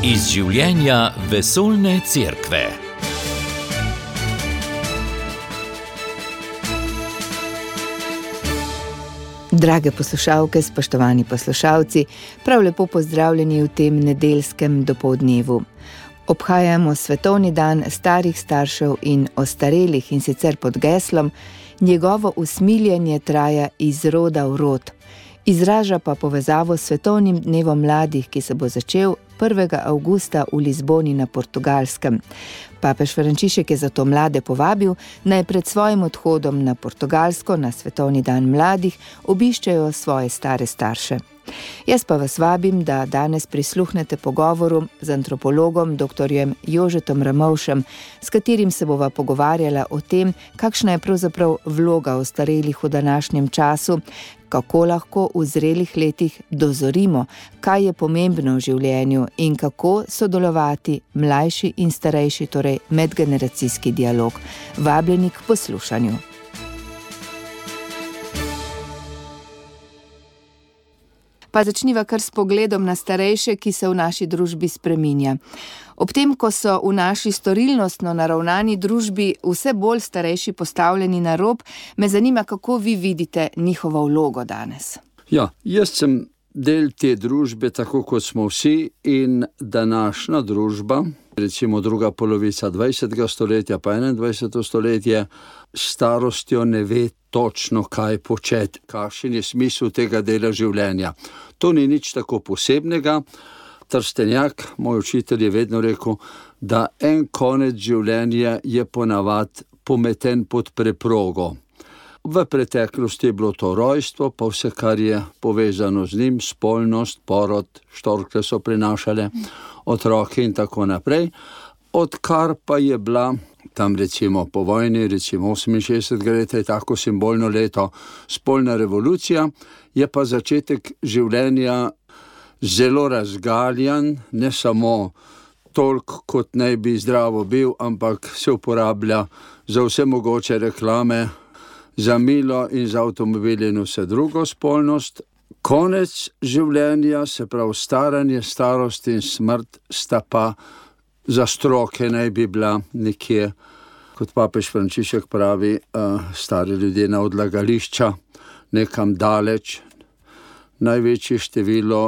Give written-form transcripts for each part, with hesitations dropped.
Iz življenja vesoljne cerkve. Drage poslušalke, spoštovani poslušalci, prav lepo pozdravljeni v tem nedeljskem dopoldnevu. Obhajamo svetovni dan starih staršev in ostarelih, in sicer pod geslom Njegovo usmiljenje traja iz roda v rod. Izraža pa povezavo s svetovnim dnevom mladih, ki se bo začel 1. avgusta v Lizboni na Portugalskem. Papež Frančišek je zato mlade povabil, naj pred svojim odhodom na Portugalsko na svetovni dan mladih obiščejo svoje stare starše. Jaz pa vas vabim, da danes prisluhnete pogovoru z antropologom dr. Jožetom Ramovšem, s katerim se bova pogovarjala o tem, kakšna je pravzaprav vloga ostarelih v današnjem času, kako lahko v zrelih letih dozorimo, kaj je pomembno v življenju in kako sodelovati mlajši in starejši, torej medgeneracijski dialog. Vabljeni k poslušanju. Pa začniva kar s pogledom na starejše, ki se v naši družbi spreminja. Ob tem, ko so v naši storilnostno naravnani družbi vse bolj starejši postavljeni na rob, me zanima, kako vi vidite njihovo vlogo danes. Ja, jaz sem del te družbe, tako kot smo vsi, in današnja družba, recimo druga polovica 20. stoletja pa 21. stoletje, starostjo ne ve točno, kaj početi, kakšen je smisel tega dela življenja. To ni nič tako posebnega. Trstenjak, moj učitelj, je vedno rekel, da en konec življenja je ponavad pometen pod preprogo. V preteklosti je bilo to rojstvo, pa vse, kar je povezano z njim, spolnost, porod, štorkle so prinašale, otroke in tako naprej. Odkar pa je bila tam recimo po vojni, recimo 68. leta je tako simbolno leto, spolna revolucija, je pa začetek življenja zelo razgaljan, ne samo toliko, kot naj bi zdravo bil, ampak se uporablja za vse mogoče reklame, za milo in za avtomobile in vse drugo spolnost. Konec življenja, se pravi staranje, starost in smrt, sta pa za stroke naj bi bila nekje, kot papež Frančišek pravi, stari ljudje na odlagališča, nekam daleč. Največje število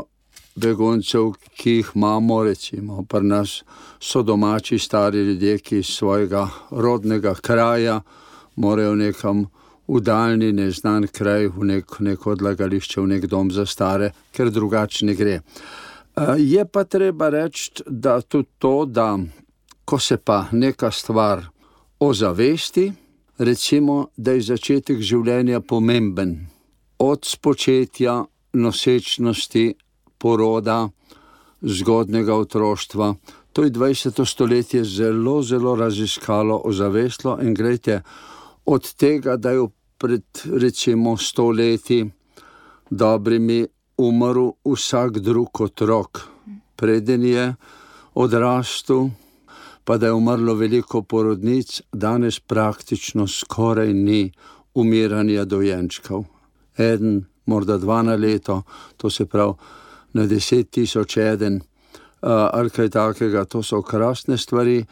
beguncev, ki jih imamo, recimo pri nas, so domači stari ljudje, ki iz svojega rodnega kraja morajo nekam v daljni, neznan kraj, v neko odlagališče, v nek dom za stare, ker drugače ne gre. Je pa treba reči, da tudi to, da ko se pa neka stvar ozavesti, recimo, da je začetek življenja pomemben. Od spočetja, nosečnosti, poroda, zgodnjega otroštva. To je 20. stoletje zelo, zelo raziskalo, ozavestilo in glejte, od tega, da je pred recimo 100 leti dobrimi umrl vsak drug otrok, preden je odrastel, pa da je umrlo veliko porodnic, danes praktično skoraj ni umiranja dojenčkov. Eden, morda 2 na leto, to se pravi na 10.000 eden, ali kaj takega, to so krasne stvari,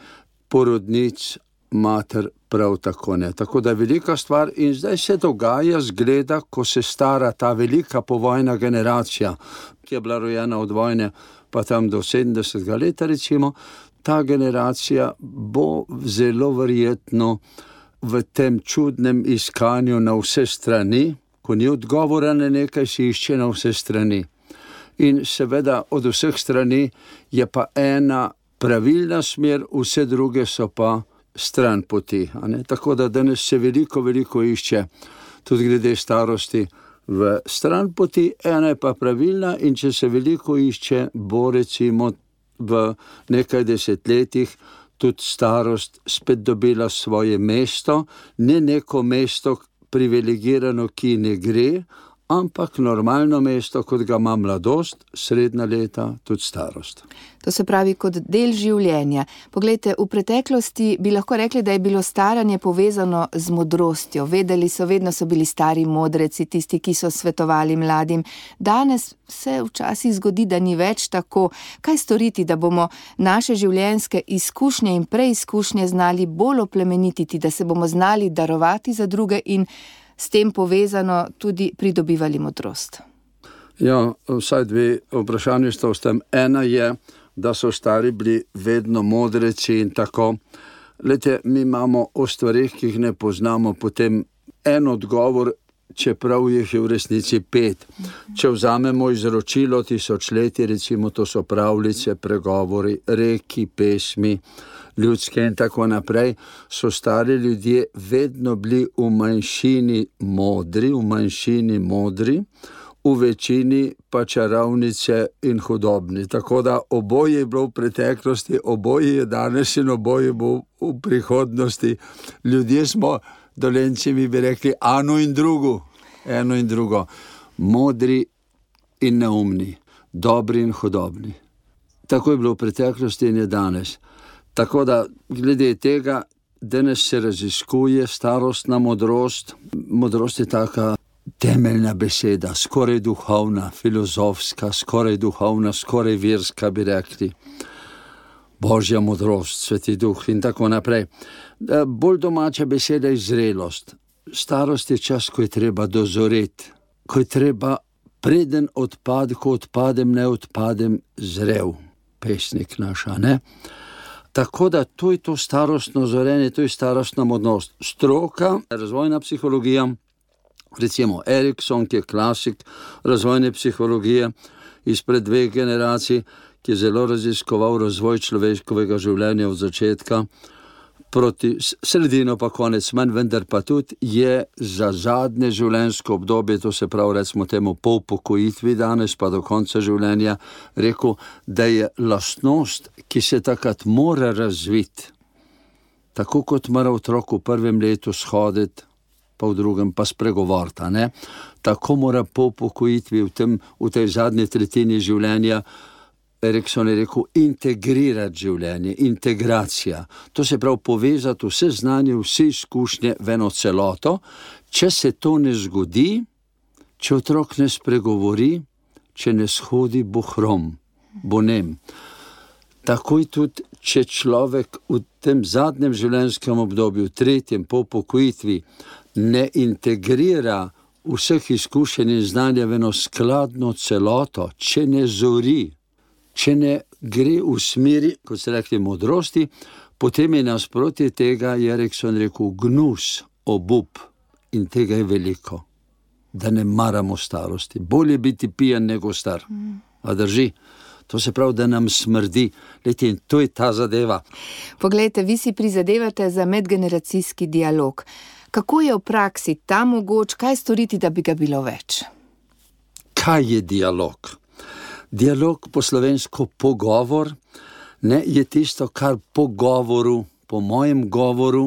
porodnic, mater prav tako ne. Tako da je velika stvar in zdaj se dogaja, zgleda, ko se stara ta velika povojna generacija, ki je bila rojena od vojne, pa tam do 70. leta recimo, ta generacija bo zelo verjetno v tem čudnem iskanju na vse strani, ko ni odgovora na nekaj, se išče na vse strani. In seveda od vseh strani je pa ena pravilna smer, vse druge so pa stran poti. Tako da danes se veliko išče, tudi glede starosti, v stran poti, ena je pa pravilna in če se veliko išče, bo recimo v nekaj desetletjih tudi starost spet dobila svoje mesto, ne neko mesto privilegirano, ki ne gre, ampak normalno mesto, kot ga ima mladost, srednja leta, tudi starost. To se pravi kot del življenja. Poglejte, v preteklosti bi lahko rekli, da je bilo staranje povezano z modrostjo. Vedno so bili stari modreci, tisti, ki so svetovali mladim. Danes se včasih zgodi, da ni več tako. Kaj storiti, da bomo naše življenjske izkušnje in preizkušnje znali bolj oplemenititi, da se bomo znali darovati za druge in s tem povezano tudi pridobivali modrost? Ja, vsaj dve vprašanje sta v tem. Ena je, da so stari bili vedno modreci in tako. Glejte, mi imamo o stvarih, ki jih ne poznamo, potem en odgovor, čeprav jih je v resnici 5. Če vzamemo izročilo tisočletij, recimo to so pravljice, pregovori, reki, pesmi, ljudske in tako naprej, so stari ljudje vedno bili v manjšini modri, v večini pa čarovnice in hudobni. Tako da oboje je bilo v preteklosti, oboje je danes in oboje bo v prihodnosti. Ljudje smo, Dolenci mi bi rekli, eno in drugo. Modri in neumni, dobri in hudobni. Tako je bilo v preteklosti in je danes. Tako da, glede tega, danes se raziskuje starostna modrost. Modrost je taka temeljna beseda, skoraj duhovna, filozofska, skoraj duhovna, skoraj verska, bi rekli. Božja modrost, Sveti Duh in tako naprej. Bolj domača beseda je zrelost. Starost je čas, ko je treba dozoreti, ko je treba preden ko odpadem, ne odpadem zrel. Pesnik naša, ne? Tako da to je to starostno zorenje, to je starostna modrost. Stroka, razvojna psihologija, recimo Erikson, ki je klasik razvojne psihologije izpred 2 generacij, ki je zelo raziskoval razvoj človeškega življenja od začetka proti sredino pa konec manj, vendar pa tudi je za zadnje življenjsko obdobje, to se pravi recimo temu po upokojitvi danes pa do konca življenja, rekel, da je lastnost, ki se takrat mora razviti, tako kot mora otrok v 1. letu shoditi, pa v 2. pa spregovoriti, ne? Tako mora po upokojitvi v tej zadnji tretjini življenja, Erikson je rekel, integrirati življenje, integracija. To se pravi povezati vse znanje, vse izkušnje v eno celoto. Če se to ne zgodi, če otrok ne spregovori, če ne shodi, bo hrom, bo nem. Takoj tudi, če človek v tem zadnjem življenjskem obdobju, 3. po upokojitvi, ne integrira vseh izkušenj in znanja v eno skladno celoto, če ne zori, če ne gre v smeri, kot se rekli, modrosti, potem je nasprotje tega, je Erikson rekel, gnus, obup, in tega je veliko, da ne maramo starosti. Bolje biti pijan nego star. A drži? To se pravi, da nam smrdi. Leti, in to je ta zadeva. Poglejte, vi si prizadevate za medgeneracijski dialog. Kako je v praksi ta mogoč, kaj storiti, da bi ga bilo več? Kaj je dialog? Dialog po slovensko pogovor, ne, je tisto, kar po govoru, po mojem govoru,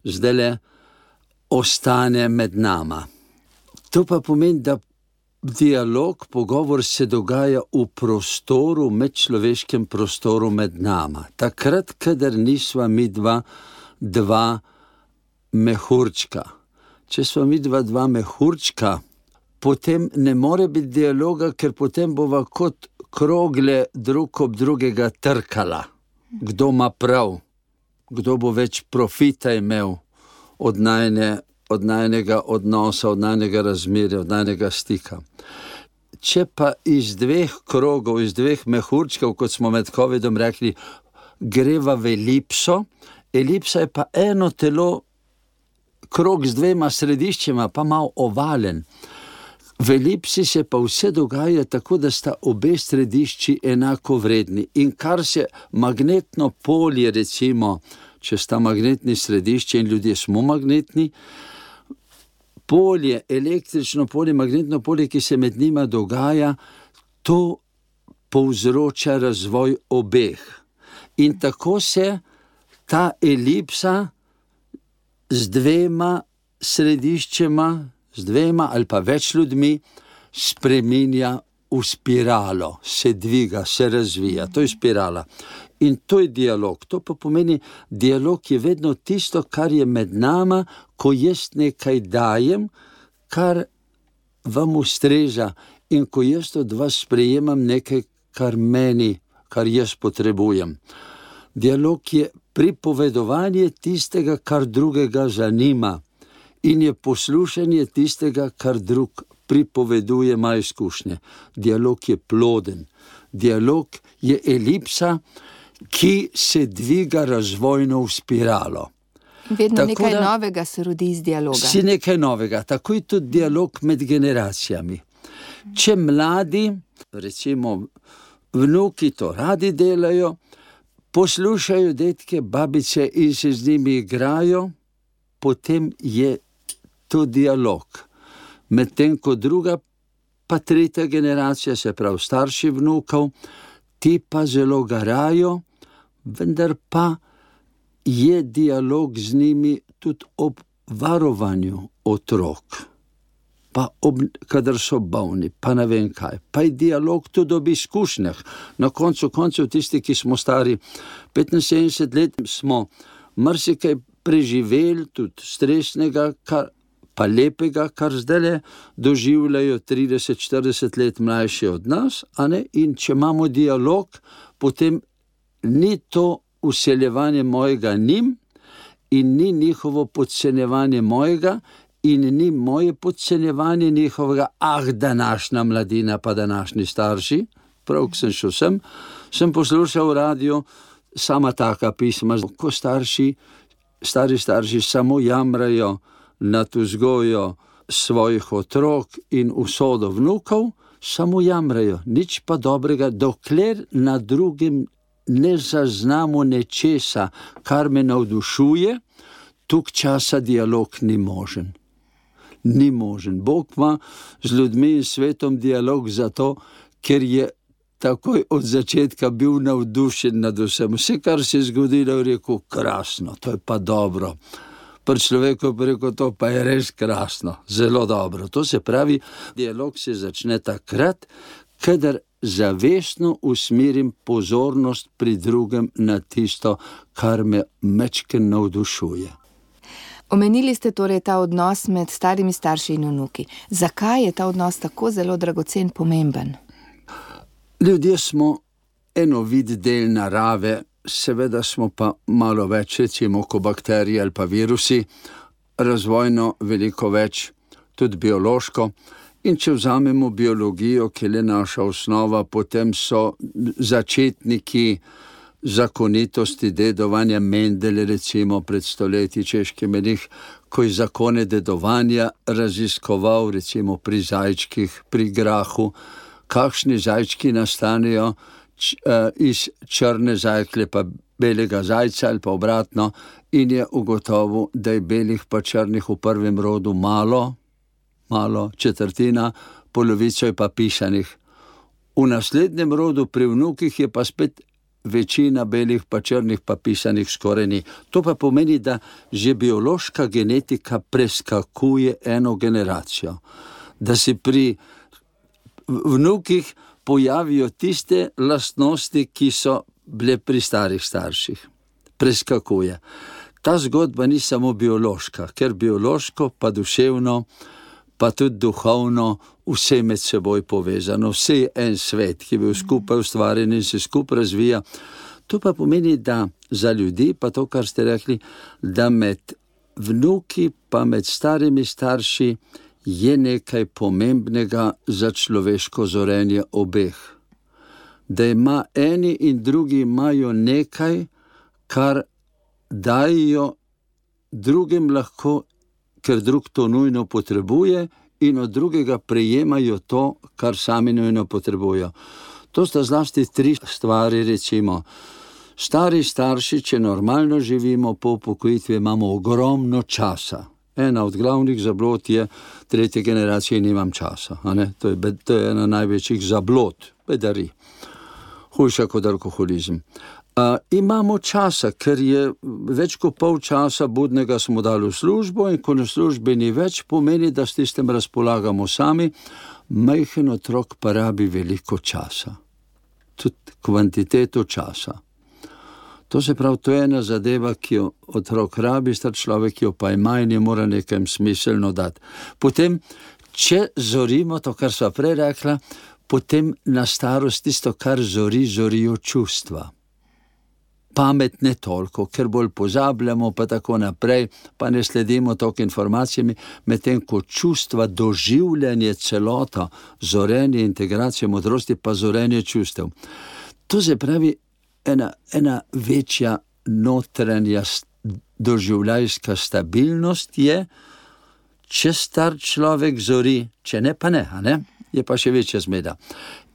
zdajle ostane med nama. To pa pomeni, da dialog, pogovor se dogaja v prostoru, medčloveškem prostoru med nama. Takrat, kadar nisva mi dva mehurčka. Če sva mi dva mehurčka, potem ne more biti dialoga, ker potem bova kot krogle drug ob drugega trkala. Kdo ima prav, kdo bo več profita imel od najnega odnosa, od najnega razmerja, od najnega stika. Če pa iz 2 krogov, iz 2 mehurčkov, kot smo med covidom rekli, greva v elipso, elipsa je pa eno telo, krog z 2 središčema, pa malo ovalen. V elipsi se pa vse dogaja tako, da sta obe središči enako vredni. In kar se magnetno polje, recimo, če sta magnetni središči in ljudje smo magnetni, polje, električno polje, magnetno polje, ki se med njima dogaja, to povzroča razvoj obeh. In tako se ta elipsa z 2 središčema, z dvema ali pa več ljudmi spreminja v spiralo, se dviga, se razvija, to je spirala. In to je dialog. To pa pomeni, dialog je vedno tisto, kar je med nama, ko jaz nekaj dajem, kar vam ustreza in ko jaz od vas sprejemam nekaj, kar jaz potrebujem. Dialog je pripovedovanje tistega, kar drugega zanima in je poslušanje tistega, kar drug pripoveduje, ima izkušnje. Dialog je ploden. Dialog je elipsa, ki se dviga razvojno v spiralo. Vedno nekaj novega se rodi iz dialoga. Si nekaj novega, tako je tudi dialog med generacijami. Če mladi, recimo vnuki to radi delajo, poslušajo dedke, babice in se z njimi igrajo, potem je to dialog. Medtem ko druga pa tretja generacija, se pravi starši vnukov, ti pa zelo garajo, vendar pa je dialog z njimi tudi ob varovanju otrok, pa kadar so bolni, pa ne vem kaj. Pa je dialog tudi ob izkušnjah. Na koncu koncev tisti, ki smo stari 75 let, smo marsikaj preživeli, tudi stresnega, pa lepega, kar zdaj doživljajo 30-40 let mlajši od nas, a ne? In če imamo dialog, potem ni to vseljevanje mojega njim in ni njihovo podcenjevanje mojega in ni moje podcenjevanje njihovega, današnja mladina pa današnji starši. Prav, ko sem šel sem poslušal v radiju sama taka pisma, ko stari starši samo jamrajo nad vzgojo svojih otrok in usodo vnukov, samo jamrajo, nič pa dobrega, dokler na drugem ne zaznamo nečesa, kar me navdušuje, tuk časa dialog ni možen. Ni možen. Bog ima z ljudmi in svetom dialog zato, ker je takoj od začetka bil navdušen nad vsem. Vse, kar se je zgodilo, je rekel, krasno, to je pa dobro. Pri človeku je rekel, to pa je res krasno, zelo dobro. To se pravi, dialog se začne takrat, kadar zavestno usmerim pozornost pri drugem na tisto, kar me mečken navdušuje. Omenili ste torej ta odnos med starimi starši in vnuki. Zakaj je ta odnos tako zelo dragocen, pomemben? Ljudje smo vid del narave, seveda smo pa malo več, recimo, ko bakterije ali pa virusi, razvojno veliko več, tudi biološko. In če vzamemo biologijo, ki je naša osnova, potem so začetniki zakonitosti dedovanja Mendel, recimo pred stoletji češki menih, ko je zakone dedovanja raziskoval, recimo pri zajčkih, pri grahu, kakšni zajčki nastanejo iz črne zajklje pa belega zajca ali pa obratno, in je ugotovil, da je belih pa črnih v prvem rodu malo, četrtina, polovico je pa pisanih. V naslednjem rodu pri vnukih je pa spet večina belih pa črnih pa pisanih skoraj ni. To pa pomeni, da že biološka genetika preskakuje eno generacijo. Da se pri vnukih pojavijo tiste lastnosti, ki so bile pri starih starših. Preskakuje. Ta zgodba ni samo biološka, ker biološko pa duševno pa tudi duhovno vse med seboj povezano, vse je en svet, ki je bil skupaj ustvarjen in se skupaj razvija. To pa pomeni, da za ljudi, pa to, kar ste rekli, da med vnuki pa med starimi starši je nekaj pomembnega za človeško zorenje obeh. Da ima eni in drugi imajo nekaj, kar dajo drugim lahko, ker drug to nujno potrebuje, in od drugega prejemajo to, kar sami nujno potrebujo. To sta zlasti 3 stvari, recimo. Stari starši, če normalno živimo po upokojitvi, imamo ogromno časa. Ena od glavnih zablod je 3. generacije, nimam časa. To je ena največjih zablod, bedari. Hujša kot alkoholizem. Imamo časa, ker je več kot pol časa budnega smo dali v službo in ko na službi ni več, pomeni, da s tistem razpolagamo sami, majhen otrok pa rabi veliko časa. Tudi kvantiteto časa. To se pravi, to je ena zadeva, ki jo otrok rabi, star človek jo pa ima in je mora nekaj smiselno dati. Potem, če zorimo to, kar sva prej rekla, potem na starost tisto, kar zorijo čustva. Pamet ne toliko, ker bolj pozabljamo, pa tako naprej, pa ne sledimo toliko informacijami, medtem ko čustva, doživljanje celota, zorenje, integracija modrosti, pa zorenje čustev. To se pravi, ena večja notranja doživljajska stabilnost je, če star človek zori, če ne, pa ne, je pa še večja zmeda.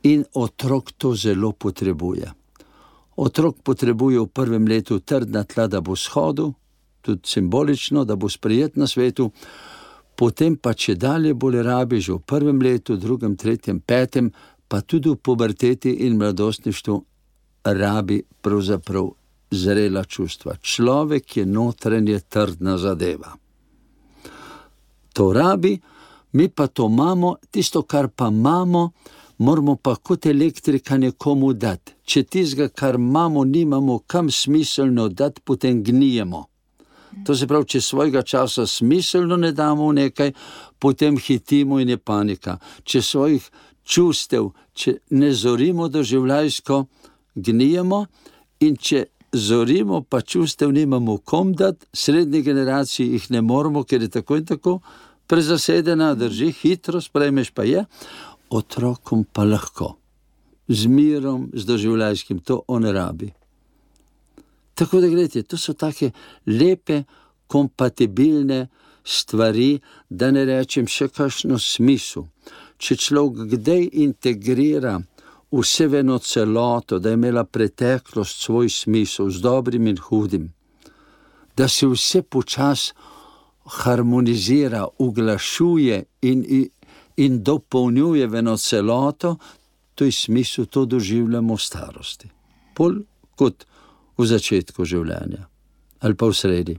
In otrok to zelo potrebuje. Otrok potrebuje v prvem letu trdna tla, da bo shodil, tudi simbolično, da bo sprejet na svetu, potem pa če dalje bolj rabi že v prvem letu, drugem, tretjem, petem, pa tudi v puberteti in mladostništvu rabi pravzaprav zrela čustva. Človek je notranje trdna zadeva. To rabi, mi pa to imamo, tisto, kar pa imamo, moramo pa kot elektrika nekomu dati. Če tistega, kar imamo, nimamo kam smiselno dati, potem gnijemo. To se pravi, če svojega časa smiselno ne damo v nekaj, potem hitimo in je panika. Če svojih čustev, če ne zorimo doživljajsko, gnijemo, in če zorimo, pa čustev nimamo kom dati, srednji generaciji jih ne moramo, ker je tako in tako prezasedena, drži, hitro sprejmeš pa je, otrokom pa lahko. Z mirom, z doživljajskim, to on rabi. Tako da gledajte, to so take lepe, kompatibilne stvari, da ne rečem še kakšno smisel. Če človek kdaj integrira vse v eno celoto, da je imela preteklost svoj smisel z dobrim in hudim, da se vse počas harmonizira, uglašuje in dopolnjuje v eno celoto, to je smisel, to doživljamo v starosti. Bolj kot v začetku življenja ali pa v sredi.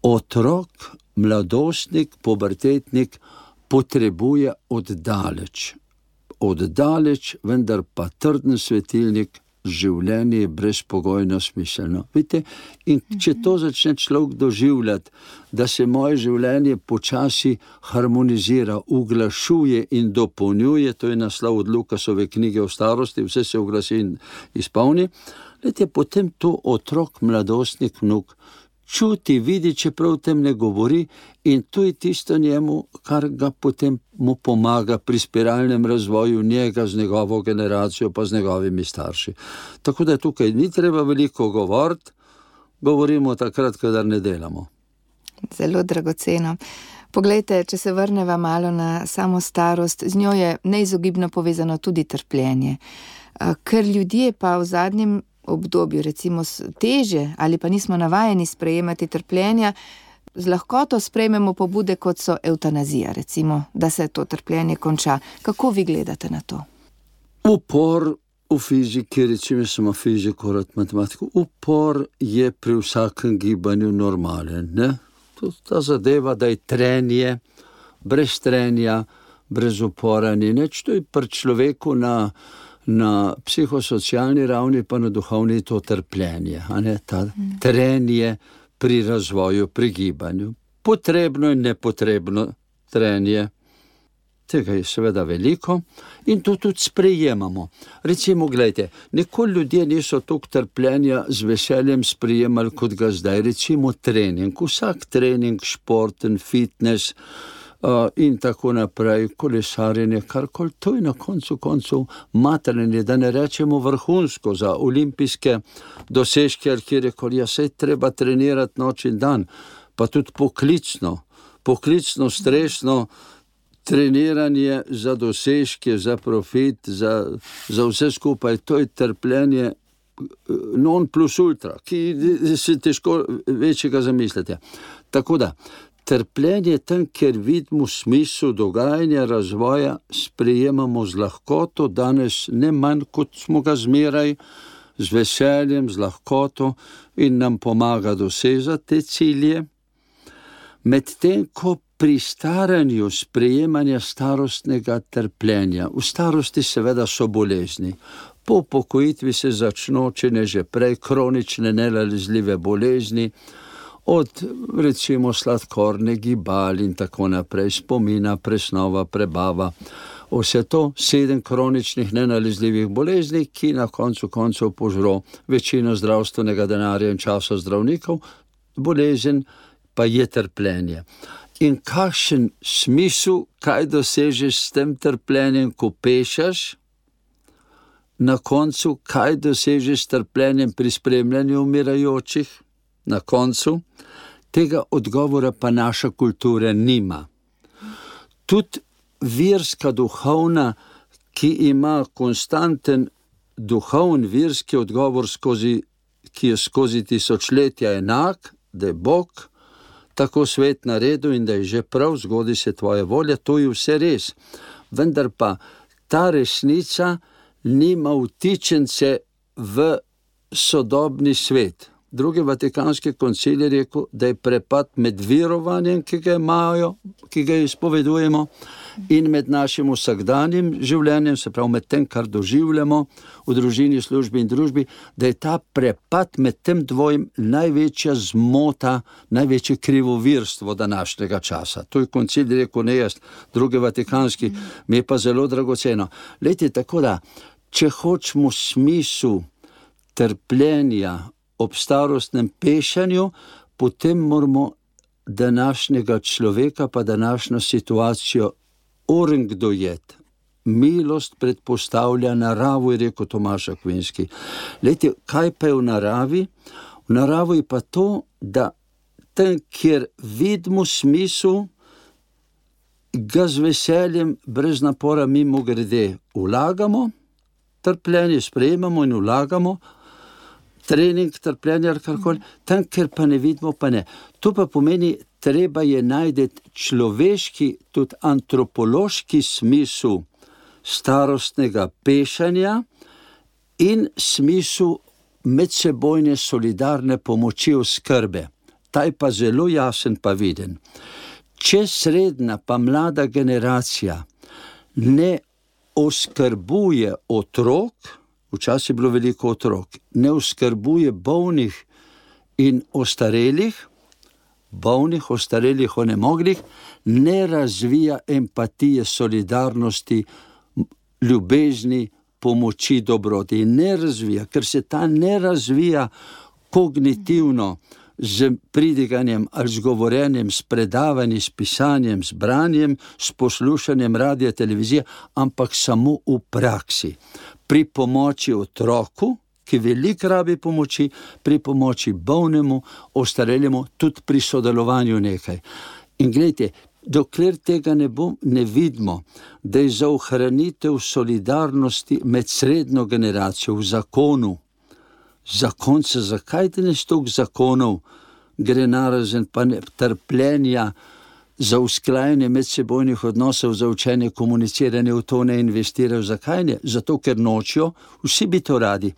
Otrok, mladostnik, pubertetnik potrebuje oddaleč, vendar pa trden svetilnik, življenje je brezpogojno smiselno. Vidite, in če to začne človek doživljati, da se moje življenje počasi harmonizira, uglašuje in dopolnjuje, to je naslov od Lukasove knjige o starosti, vse se uglasi in izpolni, vidite, potem to otrok, mladostnik, vnuk čuti, vidi, čeprav tem ne govori, in to je tisto njemu, kar ga potem mu pomaga pri spiralnem razvoju njega z njegovo generacijo, pa z njegovimi starši. Tako da tukaj ni treba veliko govoriti, govorimo takrat, kadar ne delamo. Zelo dragoceno. Poglejte, če se vrneva malo na samo starost, z njo je neizogibno povezano tudi trpljenje. Ker ljudje pa v zadnjem obdobju, recimo teže ali pa nismo navajeni sprejemati trpljenja, z lahkoto sprejmemo pobude, kot so evtanazija, recimo, da se to trpljenje konča. Kako vi gledate na to? Upor v fiziki, recimo samo fiziko, rad matematiko, upor je pri vsakem gibanju normalen, ne? Ta zadeva, da je trenje, brez trenja, brez upora ni nič, to je pri človeku na psihosocialni ravni, pa na duhovni to trpljenje, ta trenje pri razvoju, pri gibanju. Potrebno in nepotrebno trenje. Tega je seveda veliko in to tudi sprejemamo. Recimo, gledajte, nikoli ljudje niso toliko trpljenja z veseljem sprejemali, kot ga zdaj. Recimo trening, vsak trening, športen, fitness in tako naprej, kolesarjenje, karkoli, to je na koncu matranje, da ne rečemo vrhunsko za olimpijske dosežke, kjer je koli, saj treba trenirati noč in dan, pa tudi poklicno, stresno treniranje za dosežke, za profit, za vse skupaj, to je trpljenje non plus ultra, ki se težko večjega zamislite. Tako da, trpljenje tam, kjer vidimo smisel dogajanja, razvoja, sprejemamo z lahkoto, danes ne manj, kot smo ga zmeraj z veseljem, z lahkoto in nam pomaga dosežati te cilje. Medtem ko pri staranju sprejemanja starostnega trpljenja, v starosti seveda so bolezni. Po upokojitvi se začno, če ne že prej, kronične nenalezljive bolezni, od recimo sladkorne gibali in tako naprej, spomina, presnova, prebava. Vse to 7 kroničnih nenalezljivih bolezni, ki na koncu koncev požro večino zdravstvenega denarja in časa zdravnikov, bolezen pa je trpljenje. In kakšen smisel, kaj dosežeš s tem trpljenjem, ko pešaš? Na koncu, kaj dosežeš s trpljenjem pri spremljanju umirajočih? Na koncu, tega odgovora pa naša kultura nima. Tudi verska duhovna, ki ima konstanten duhovni verski odgovor, ki je skozi tisočletja enak, da je Bog tako svet naredil in da je že prav, zgodi se tvoja volja, to je vse res. Vendar pa ta resnica nima vtičence v sodobni svet. Drugi vatikanski koncil je rekel, da je prepad med verovanjem, ki ga izpovedujemo, in med našim vsakdanjim življenjem, se pravi med tem, kar doživljamo v družini, službi in družbi, da je ta prepad med tem dvojim največja zmota, največje krivovirstvo današnjega časa. To je koncil rekel, ne jaz, drugi vatikanski, mi je pa zelo dragoceno. Lejte, tako da, če hočemo smisel trpljenja ob starostnem pešanju, potem moramo današnjega človeka pa današnjo situacijo dojeti. Milost predpostavlja naravo, je rekel Tomaž Akvinski. Lejte, kaj pa je v naravi? V naravi je pa to, da tam, kjer vidimo smisel, ga z veseljem, brez napora mimo grede vlagamo, trpljenje sprejemamo in vlagamo, trening, trpljenje, karkoli, tam, kjer pa ne vidimo, pa ne. To pa pomeni, treba je najti človeški, tudi antropološki smisel starostnega pešanja in smisel medsebojne solidarne pomoči oskrbe. Ta je pa zelo jasen pa viden. Če srednja pa mlada generacija ne oskrbuje otrok, včasih je bilo veliko otrok, ne oskrbuje bolnih in ostarelih, onemoglih, ne razvija empatije, solidarnosti, ljubezni, pomoči, dobroti. Ne razvija, ker se ta ne razvija kognitivno z pridiganjem ali z govorjenjem, s predavanjem, s pisanjem, s branjem, s poslušanjem radija, televizije, ampak samo v praksi. Pri pomoči otroku, ki veliko rabi pomoči, pri pomoči bolnemu, ostarelemu, tudi pri sodelovanju nekaj. In gledajte, dokler tega ne vidimo, da je za ohranitev solidarnosti med srednjo generacijo v zakonu, zakonce, zakaj danes toliko zakonov gre narazen, pa ne trpljenja, za usklajanje medsebojnih odnosov, za učenje, komuniciranje, v to ne investirajo. Zakaj ne? Zato, ker nočijo, vsi bi to radi.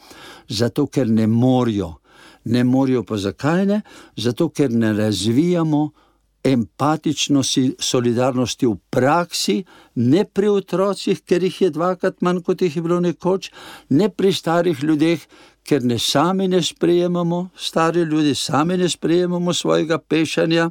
Zato, ker ne morijo. Ne morijo pa zakaj ne? Zato, ker ne razvijamo empatičnosti, solidarnosti v praksi, ne pri otrocih, ker jih je 2-krat manj, kot jih je bilo nekoč, ne pri starih ljudeh, ker sami ne sprejemamo, stari ljudi sami ne sprejemamo svojega pešanja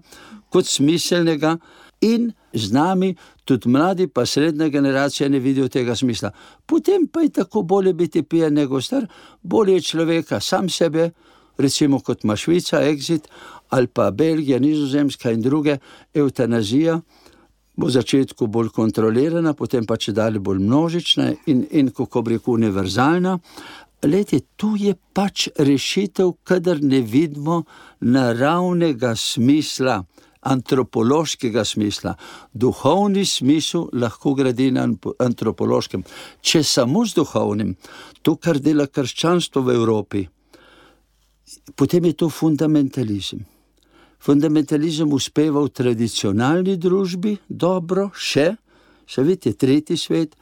kot smiselnega, in z nami tudi mladi pa srednja generacija ne vidijo tega smisla. Potem pa je tako bolje biti pijan nego star, bolje človeka sam sebe, recimo kot ima Švica, Exit, ali pa Belgija, Nizozemska in druge, eutanazija bo v začetku bolj kontrolirana, potem pa čedalje bolj množična in kako bi rekel, univerzalna. Lejte, tu je pač rešitev, kadar ne vidimo naravnega smisla, antropološkega smisla. Duhovni smisel lahko gradi na antropološkem. Če samo z duhovnim, to, kar dela krščanstvo v Evropi, potem je to fundamentalizem. Fundamentalizem uspeva v tradicionalni družbi dobro, še vidite, tretji svet,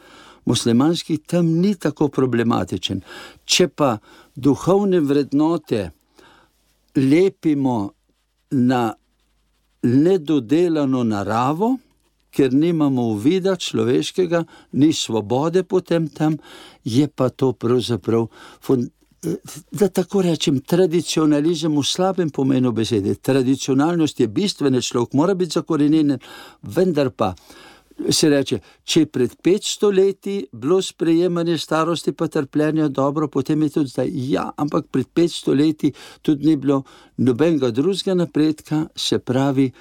muslimanskih, tam ni tako problematičen. Če pa duhovne vrednote lepimo na nedodelano naravo, ker nimamo uvida človeškega, ni svobode potem tam, je pa to pravzaprav, da tako rečem, tradicionalizem v slabem pomenu besede. Tradicionalnost je bistvena, človek mora biti zakorenjen, vendar pa se reče, če pred 500 leti bilo sprejemanje starosti pa trpljenja dobro, potem je tudi zdaj. Ja, ampak pred 500 leti tudi ni bilo nobenega drugega napredka, se pravi,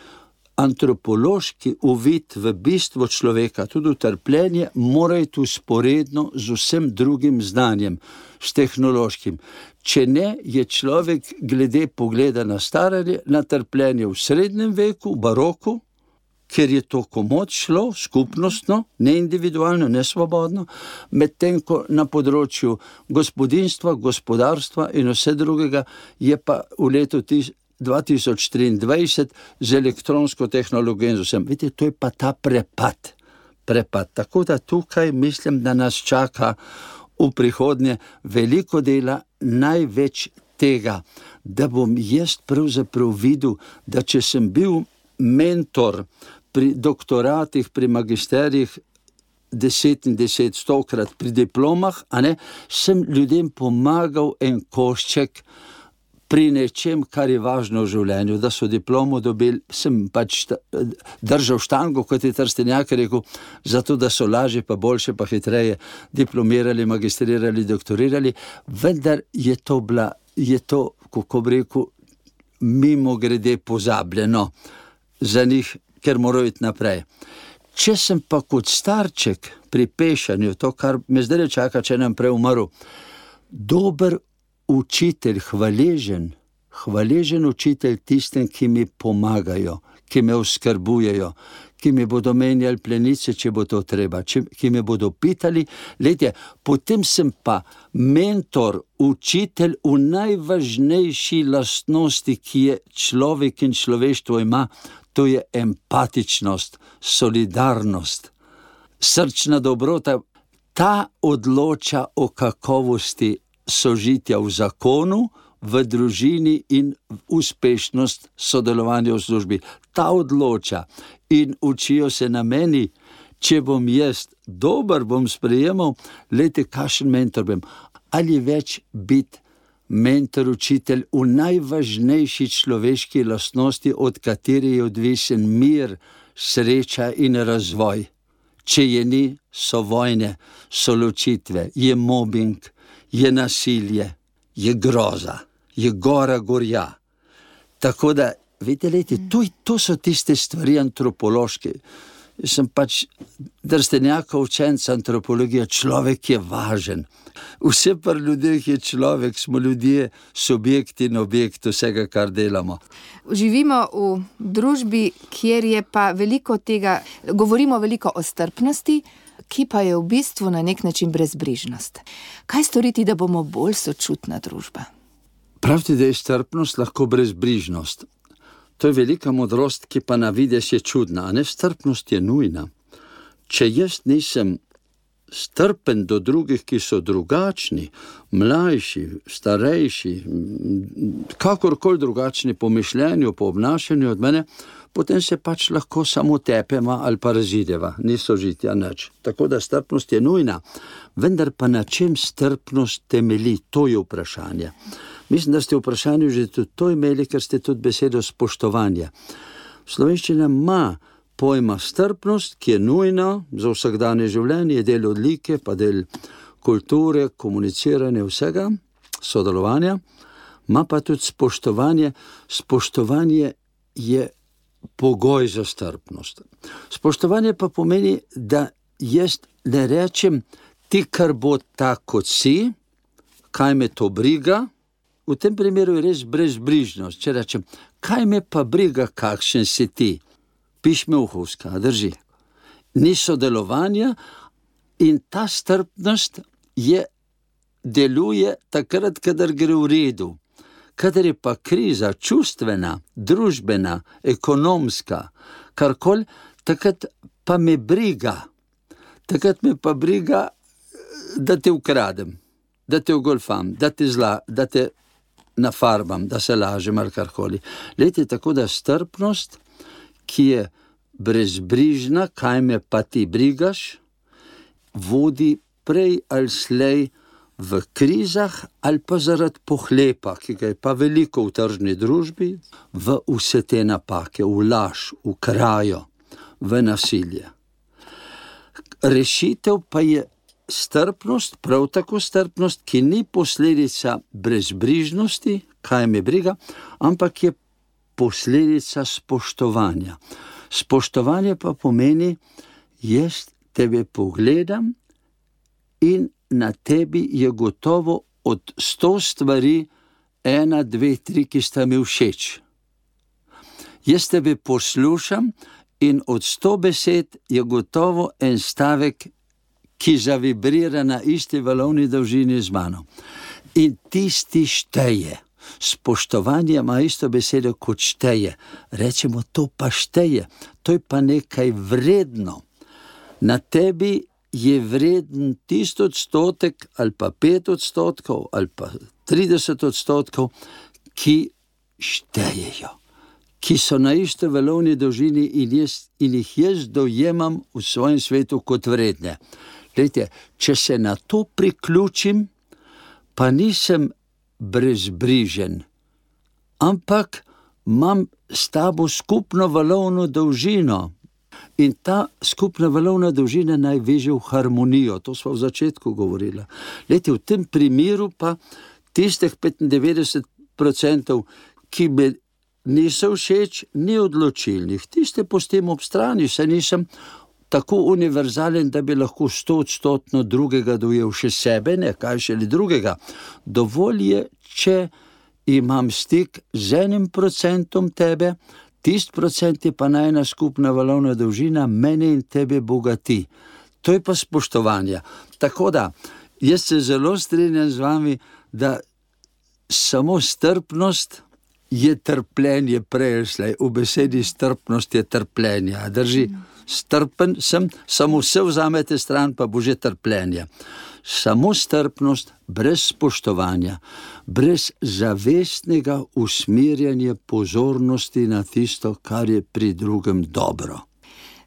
antropološki uvid v bistvo človeka, tudi v trpljenje, mora iti usporedno z vsem drugim znanjem, s tehnološkim. Če ne, je človek glede pogleda na staranje, na trpljenje v srednjem veku, v baroku, ker je to komod šlo, skupnostno, ne individualno, ne svobodno, medtem ko na področju gospodinstva, gospodarstva in vse drugega je pa v letu 2023 z elektronsko tehnologijo in z vsem. Vidite, to je pa ta prepad. Tako da tukaj mislim, da nas čaka v prihodnje veliko dela, največ tega, da bom jaz pravzaprav videl, da če sem bil mentor pri doktoratih, pri magisterijih 10 in 10, 100-krat, pri diplomah, sem ljudem pomagal en košček pri nečem, kar je važno v življenju, da so diplomo dobili, sem pač držal štango, kot je Trstenjak rekel, zato da so lažje, pa boljše, pa hitreje diplomirali, magistrirali, doktorirali, vendar je to, kako bi rekel, mimo grede pozabljeno za njih, ker morajo iti naprej. Če sem pa kot starček pri pešanju, to, kar me zdaj čaka, če nam prej umrl, dober učitelj, hvaležen učitelj tistem, ki mi pomagajo, ki me oskrbujejo, ki mi bodo menjali plenice, če bo to treba, ki me bodo pitali, potem sem pa mentor, učitelj v najvažnejši lastnosti, ki je človek in človeštvo ima, to je empatičnost, solidarnost, srčna dobrota. Ta odloča o kakovosti sožitja v zakonu, v družini in uspešnost sodelovanja v službi. Ta odloča in učijo se na meni, če bom jaz dober, bom sprejemal, kakšen mentor bom. Ali več biti mentor, učitelj v najvažnejši človeški lastnosti, od katere je odvisen mir, sreča in razvoj. Če je ni, so vojne, so ločitve, je mobbing, je nasilje, je groza, je gorja. Tako da, vidite, to so tiste stvari antropološke. Jaz sem pač Trstenjakov učenec antropologije, človek je važen. Vse pri ljudeh je človek, smo ljudje, subjekt in objekt vsega, kar delamo. Živimo v družbi, kjer je pa veliko tega, govorimo veliko o strpnosti, ki pa je v bistvu na nek način brezbrižnost. Kaj storiti, da bomo bolj sočutna družba? Pravite, da je strpnost lahko brezbrižnost. To je velika modrost, ki pa na vides je čudna, a ne, strpnost je nujna. Če jaz nisem strpen do drugih, ki so drugačni, mlajši, starejši, kakorkoli drugačni po mišljenju, po obnašanju od mene, potem se pač lahko samo tepema ali pa razideva, ni sožitja nič. Tako da strpnost je nujna, vendar pa na čem strpnost temelji, to je vprašanje. Mislim, da ste v vprašanju že tudi to imeli, ker ste tudi besedo spoštovanja. Slovenščina ima pojma strpnost, ki je nujna za vsakdanje življenje, je del odlike, pa del kulture, komuniciranja, vsega, sodelovanja, ima pa tudi spoštovanje. Spoštovanje je pogoj za strpnost. Spoštovanje pa pomeni, da jaz ne rečem, ti kar bo tako kot si, kaj me to briga. V tem primeru je res brezbrižnost. Če rečem, kaj me pa briga, kakšen si ti? Piš me uhovska, drži. Ni sodelovanja in ta strpnost deluje takrat, kadar gre v redu. Kadar je pa kriza čustvena, družbena, ekonomska, karkoli, takrat pa me briga. takrat me pa briga, da te ukradem, da te ogolfam, da te nafarbam, da se lažem ali karkoli. Lejte, tako da strpnost, ki je brezbrižna, kaj me pa ti brigaš, vodi prej ali slej v krizah ali pa zaradi pohlepa, ki ga je pa veliko v tržni družbi, v vse te napake, v laž, v krajo, v nasilje. Rešitev pa je strpnost, prav tako strpnost, ki ni posledica brezbrižnosti, kaj me briga, ampak je posledica spoštovanja. Spoštovanje pa pomeni, jaz tebe pogledam in na tebi je gotovo od 100 stvari 1, 2, 3, ki sta mi všeč. Jaz tebe poslušam in od 100 besed je gotovo en stavek, ki zavibrira na isti valovni dolžini z mano. In tisti šteje. Spoštovanje ima isto besedo kot šteje. Rečemo, to pa šteje. To je pa nekaj vredno. Na tebi je vreden tisti odstotek ali pa 5% ali pa 30%, ki štejejo, ki so na isto valovni dolžini in jih jaz dojemam v svojem svetu kot vredne. Glejte, če se na to priključim, pa nisem brezbrižen, ampak imam s tabo skupno valovno dolžino. In ta skupna valovna dolžina naj veže v harmonijo, to smo v začetku govorili. Glejte, v tem primeru pa tistih 95%, ki me niso všeč, ni odločilnih. Tiste pustim ob strani, saj nisem tako univerzalen, da bi lahko 100% drugega dojel še sebe, ne kaj šele drugega. Dovolj je, če imam stik z 1% tebe, tisti procent je pa najna skupna valovna dolžina, mene in tebe bogati. To je pa spoštovanje. Tako da, jaz se zelo strinjam z vami, da samo strpnost je trpljenje prejslej. V besedi strpnost je trpljenje. Drži, strpen sem, samo vse vzamete stran, pa bo že trpljenje. Samo strpnost, brez spoštovanja, brez zavestnega usmerjanja pozornosti na tisto, kar je pri drugem dobro.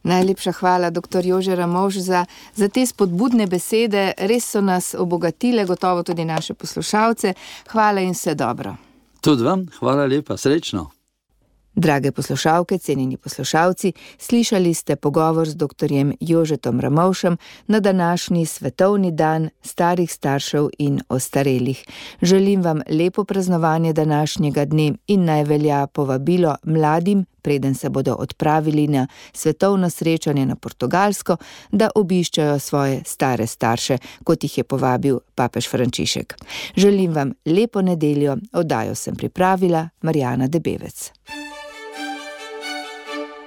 Najlepša hvala, dr. Jože Ramovš, za te spodbudne besede. Res so nas obogatile, gotovo tudi naše poslušalce. Hvala in vse dobro. Tudi vam, hvala lepa, srečno. Drage poslušalke, cenjeni poslušalci, slišali ste pogovor z dr. Jožetom Ramovšem na današnji svetovni dan starih staršev in ostarelih. Želim vam lepo praznovanje današnjega dne in naj velja povabilo mladim, preden se bodo odpravili na svetovno srečanje na Portugalsko, da obiščajo svoje stare starše, kot jih je povabil papež Frančišek. Želim vam lepo nedeljo, oddajo sem pripravila Marjana Debevec.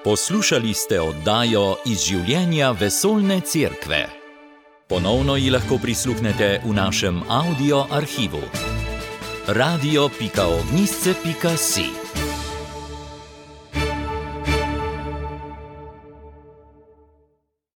Poslušali ste oddajo iz življenja Vesoljne cerkve. Ponovno ji lahko prisluhnete v našem audio arhivu. radio.ognisce.si